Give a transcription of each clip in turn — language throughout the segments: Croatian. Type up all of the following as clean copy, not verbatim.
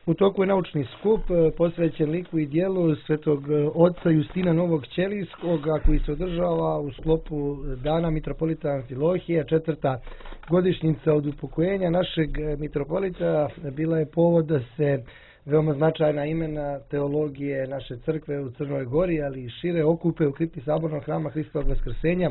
U toku je naučni skup posvećen liku i dijelu svetog oca Justina Novog Ćelijskog, koji se održava u sklopu Dana mitropolita Amfilohija, 4. godišnjica od upokojenja našeg mitropolita. Bila je povod da se veoma značajna imena teologije naše crkve u Crnoj Gori, ali i šire okupe u kripti Sabornog hrama Hristovog Vaskrsenja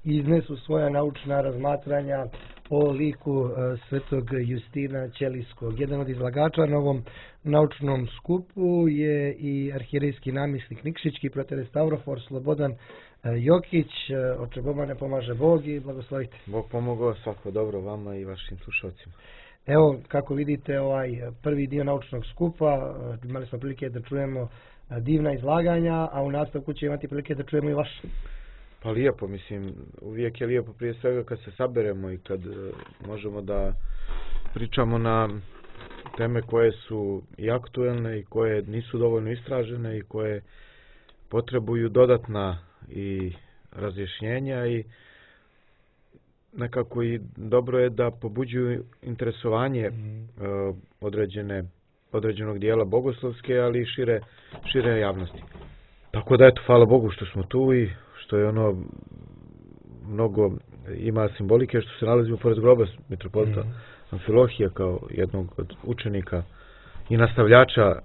i iznesu svoja naučna razmatranja o liku svetog Justina Ćelijskog. Jedan od izlagača na ovom naučnom skupu je i arhijerejski namjesnik Nikšićki, proterej Stavrofor Slobodan Jokić. Oče Boga ne pomaže Bog i blagoslovite. Bog pomogao, svako dobro vama i vašim slušalcima. Evo, kako vidite, ovaj prvi dio naučnog skupa, imali smo prilike da čujemo divna izlaganja, a u nastavku će imati prilike da čujemo i vaš. Pa lijepo, mislim, uvijek je lijepo prije svega kad se saberemo i kad možemo da pričamo na teme koje su i aktuelne i koje nisu dovoljno istražene i koje potrebuju dodatna i razjašnjenja i nekako i dobro je da pobuđuju interesovanje određenog dijela bogoslovske, ali i šire javnosti. Tako da eto, hvala Bogu što smo tu i što je ono mnogo ima simbolike što se nalazimo pored groba mitropolita Amfilohija kao jednog od učenika i nastavljača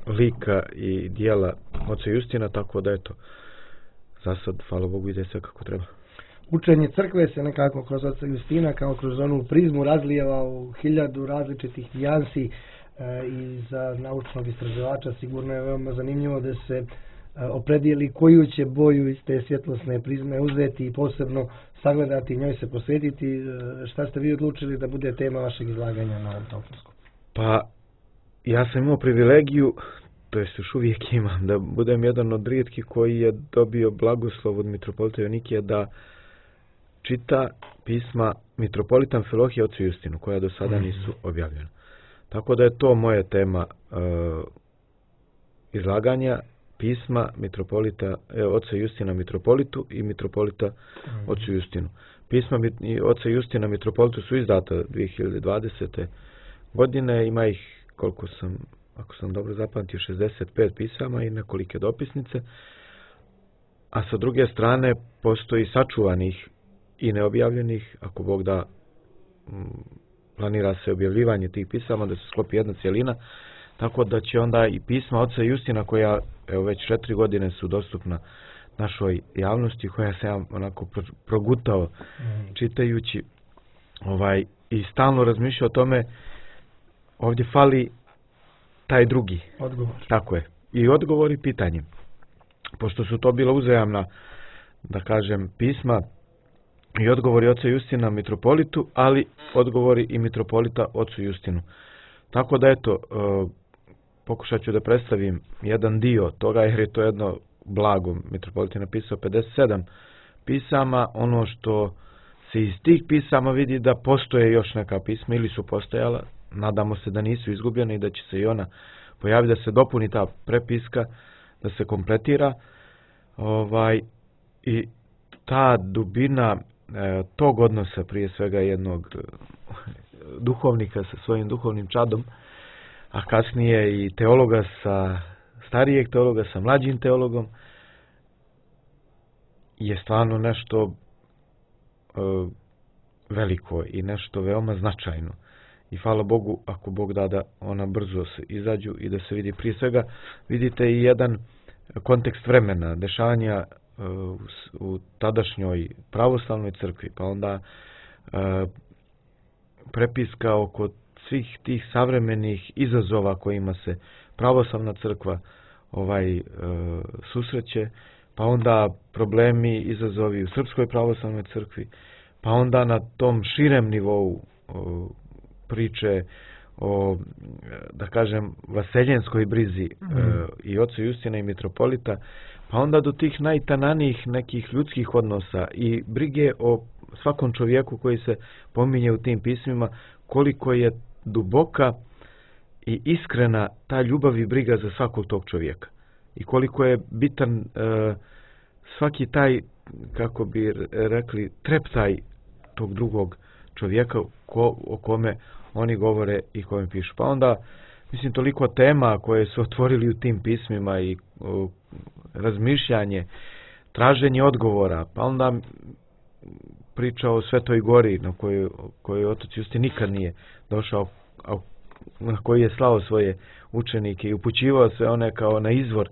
lika i dijela oca Justina, tako da eto, za sad, hvala Bogu, ide sve kako treba. Učenje crkve se nekako kroz oca Justina kao kroz onu prizmu razlijeva u 1000 različitih nijansi i za naučnog istraživača sigurno je veoma zanimljivo da se opredijeli koju će boju iz te svjetlosne prizme uzeti i posebno sagledati i njoj se posvetiti. Šta ste vi odlučili da bude tema vašeg izlaganja na ovom naučnom? Pa, ja sam imao privilegiju, to jest još uvijek imam, da budem jedan od rijetkih koji je dobio blagoslov od mitropolita Jonikija da čita pisma mitropolita Amfilohija ocu Justinu, koja do sada nisu objavljena. Tako da je to moja tema izlaganja, pisma mitropolita oca Justina mitropolitu i mitropolita ocu Justinu. Pisma oca Justina mitropolitu su izdata 2020. godine, ima ih, ako sam dobro zapamtio, 65 pisama i nekolike dopisnice, a sa druge strane postoji sačuvanih i neobjavljenih, ako Bog da, planira se objavljivanje tih pisama, da se sklopi jedna cjelina, tako da će onda i pisma oca Justina, koja evo već 4 godine su dostupna našoj javnosti, koja se ja onako progutao čitajući i stalno razmišljao o tome, ovdje fali taj drugi. Odgovor. Tako je. I odgovor i pitanje. Pošto su to bila uzajamna, da kažem, pisma i odgovori oca Justina mitropolitu, ali odgovori i mitropolita ocu Justinu. Tako da eto, pokušat ću da predstavim jedan dio toga, jer je to jedno blago. Mitropolit je napisao 57 pisama. Ono što se iz tih pisama vidi da postoje još neka pisma ili su postojala. Nadamo se da nisu izgubljene i da će se i ona pojaviti, da se dopuni ta prepiska, da se kompletira. I ta dubina tog odnosa, prije svega jednog duhovnika sa svojim duhovnim čadom, a kasnije i teologa starijeg teologa sa mlađim teologom, je stvarno nešto veliko i nešto veoma značajno. I hvala Bogu, ako Bog da ona brzo se izađu i da se vidi. Prije svega vidite i jedan kontekst vremena, dešavanja u tadašnjoj pravoslavnoj crkvi, pa onda prepiska oko svih tih savremenih izazova kojima se pravoslavna crkva susreće, pa onda problemi, izazovi u Srpskoj pravoslavnoj crkvi, pa onda na tom širem nivou priče o, da kažem, vaseljenskoj brizi i oca Justina i mitropolita, pa onda do tih najtananijih nekih ljudskih odnosa i brige o svakom čovjeku koji se pominje u tim pismima, koliko je duboka i iskrena ta ljubav i briga za svakog tog čovjeka. I koliko je bitan svaki taj, kako bi rekli, treptaj tog drugog čovjeka o kome oni govore i kome pišu. Pa onda, mislim, toliko tema koje su otvorili u tim pismima i razmišljanje, traženje odgovora, pa onda priča o Svetoj Gori na kojoj otac Justin nikad nije došao, na koji je slao svoje učenike i upućivao sve one kao na izvor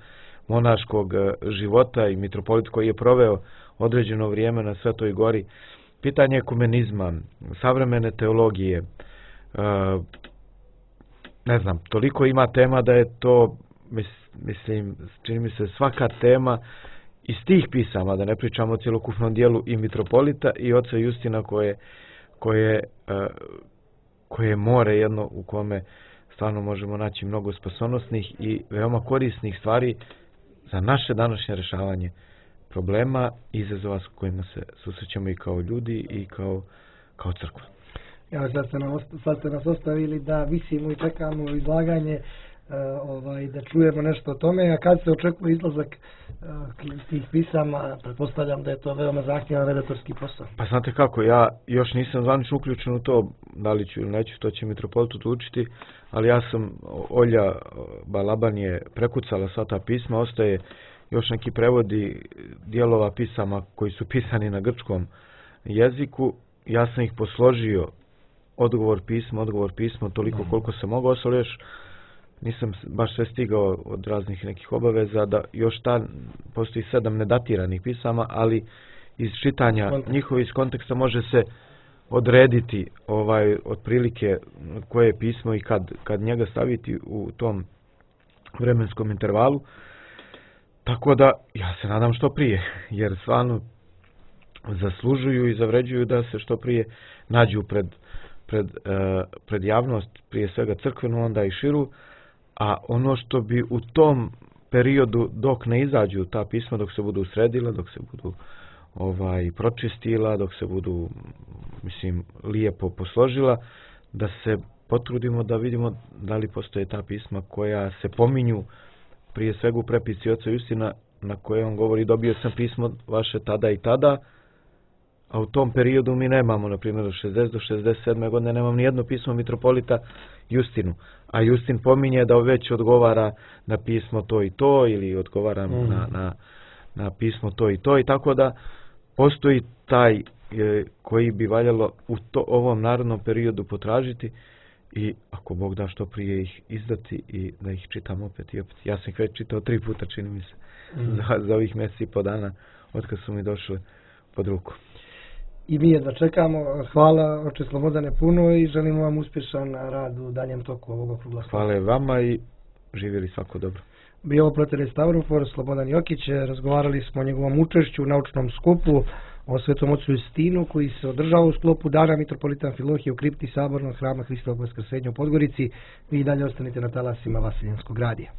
monaškog života i mitropolit koji je proveo određeno vrijeme na Svetoj Gori. Pitanje ekumenizma, savremene teologije, ne znam, toliko ima tema da je to, mislim, čini mi se svaka tema iz tih pisama, da ne pričamo o cjelokupnom dijelu i mitropolita i oca Justina koje je more jedno u kome stvarno možemo naći mnogo spasonosnih i veoma korisnih stvari za naše današnje rješavanje problema i izazova s kojima se susrećemo i kao ljudi i kao crkva. Evo, sad ste nas ostavili da visimo i čekamo izlaganje, da čujemo nešto o tome, a kad se očekuje izlazak tih pisama, pretpostavljam da je to veoma zahtjevan redaktorski posao. Pa znate kako, ja još nisam zvanično uključen u to, da li ću ili neću, to će mitropolit odlučiti, ali ja sam, Olja Balaban je prekucala sva ta pisma, ostaje još neki prevodi dijelova pisama koji su pisani na grčkom jeziku, ja sam ih posložio odgovor pismo, toliko koliko sam mogao, ali još nisam baš sve stigao od raznih nekih obaveza, da još postoji 7 nedatiranih pisama, ali iz čitanja njihovi iz konteksta može se odrediti otprilike koje je pismo i kad njega staviti u tom vremenskom intervalu. Tako da ja se nadam što prije, jer stvarno zaslužuju i zavređuju da se što prije nađu pred javnost, prije svega crkvenu, onda i širu, a ono što bi u tom periodu dok ne izađu ta pisma, dok se budu sredila, dok se budu pročistila, dok se budu, mislim, lijepo posložila, da se potrudimo da vidimo da li postoje ta pisma koja se pominju prije svega u prepisci oca Justina, na koje on govori dobio sam pismo vaše tada i tada, a u tom periodu mi nemamo, na primjer, od 60 do 67. godine nemam ni jedno pismo mitropolita Justinu, a Justin pominje da već odgovara na pismo to i to, ili odgovara na pismo to i to, i tako da postoji taj koji bi valjalo u ovom narodnom periodu potražiti i ako Bog da što prije ih izdati i da ih čitam opet i opet. Ja sam ih već čitao 3 puta, čini mi se, za ovih mjeseci i po dana od kad su mi došli pod ruku. I mi jedva čekamo. Hvala, oče Slobodane, puno i želimo vam uspješan rad u daljem toku ovog okrugla stola. Hvala vama i živjeli svako dobro. Bio ovo protere Stavrofor, Slobodan Jokić. Razgovarali smo o njegovom učešću u naučnom skupu o Svetom ocu Justinu koji se održava u sklopu Dana mitropolita Amfilohije u kripti Sabornog hrama Hristovog Vaskrsenja u Podgorici. Vi dalje ostanite na talasima Vaseljenskog radija.